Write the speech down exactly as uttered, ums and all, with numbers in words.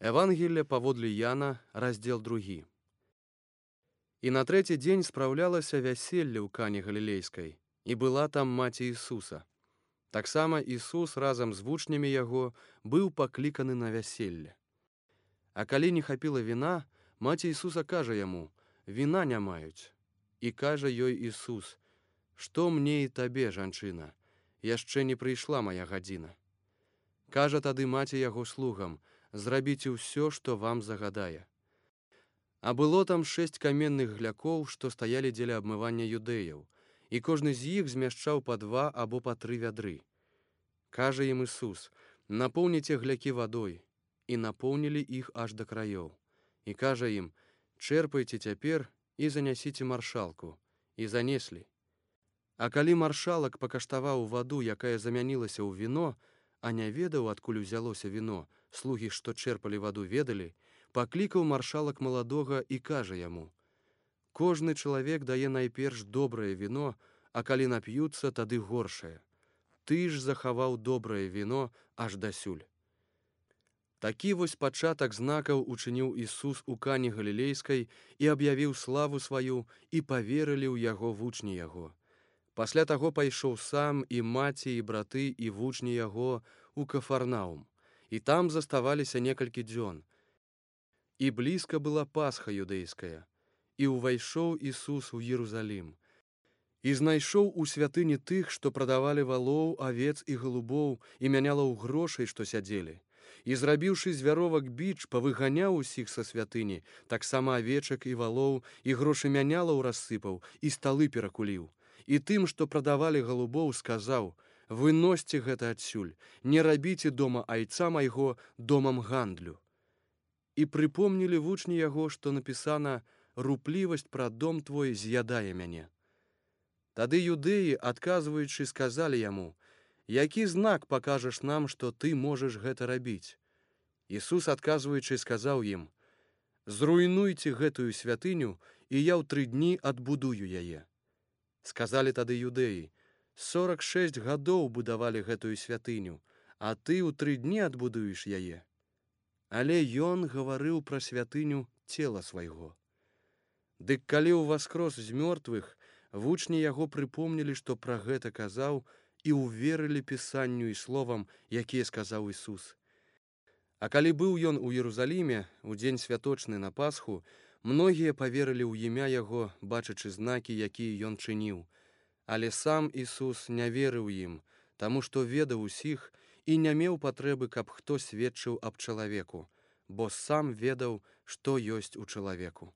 Евангелие паводле Яна, раздзел другі. І на трэці дзень спраўлялася вяселле ў Кане Галілейскай, і была там маці Ісуса. Таксама Ісус разам з вучнямі яго быў пакліканы на вяселле. А калі не хапіла віна, маці Ісуса кажа яму: «Віна не маюць». І кажа ёй Ісус: «Што мне і табе, жанчына? Яшчэ не прыйшла мая гадзіна». Кажа тады маці яго слугам: «Зрабіце ўсё, што вам загадае». А было там шэсць каменных глякоў, што стаялі дзеля абмывання юдэяў, і кожны з іх змяшчаў па два або па тры вядры. Кажа ім Ісус: «Напоўніце глякі вадой». І напоўнілі іх аж да краёў. І кажа ім: «Чэрпайце цяпер і занясіце маршалку». І занеслі. А калі маршалак пакаштаваў ваду, якая замянілася ў віно, а не ведаў, адкуль узялося віно, слугі, што чэрпалі ваду, ведалі, паклікаў маршалак маладога і кажа яму: «Кожны чалавек дае найперш добрае віно, а калі нап'юцца, тады горшае. Ты ж захаваў добрае віно аж дасюль». Такі вось пачатак знакаў учыніў Ісус у Кане Галілейскай і аб'явіў славу сваю, і паверылі ў яго вучні яго. Пасля таго пайшоў сам, і маці, і браты, і вучні яго у Кафарнаум, і там заставаліся некалькі дзён. І блізка была Пасха юдэйская, і ўвайшоў Ісус у Єрусалім, і знайшоў у святыні тых, што прадавалі валоў, авец і галубоў, і мянялаў грошай, што сядзелі. І, зрабіўшы з вяровак біч, павыганяў усіх са святыні, таксама авечак і валоў, і грошы мянялаў рассыпаў, і сталы перакуліў. І тым, што прадавалі галубоў, сказаў: «Выносьце гэта адсюль, не рабіце дома айца майго домам гандлю». І прыпомнілі вучні яго, што напісана: «Руплівасць пра дом твой з'ядае мяне». Тады юдэі, адказваючы, сказалі яму: «Які знак пакажаш нам, што ты можаш гэта рабіць?» Ісус, адказваючы, сказаў ім: «Зруйнуйце гэтую святыню, і я ў тры дні адбудую яе». Сказалі тады юдэі: «Сорак шэсць гадоў будавалі гэтую святыню, а ты ў тры дні адбудуеш яе». Але ён гаварыў пра святыню цела свайго. Дык калі ўваскрос з мёртвых, вучні яго прыпомнілі, што пра гэта казаў, і ўверылі пісанню і словам, якія сказаў Ісус. А калі быў ён у Єрусаліме у дзень святочны на Пасху, многія паверылі ў імя яго, бачачы знакі, якія ён чыніў. Але сам Ісус не верыў ім, таму што ведаў усіх і не меў патрэбы, каб хто сведчыў аб чалавеку, бо сам ведаў, што ёсць у чалавеку.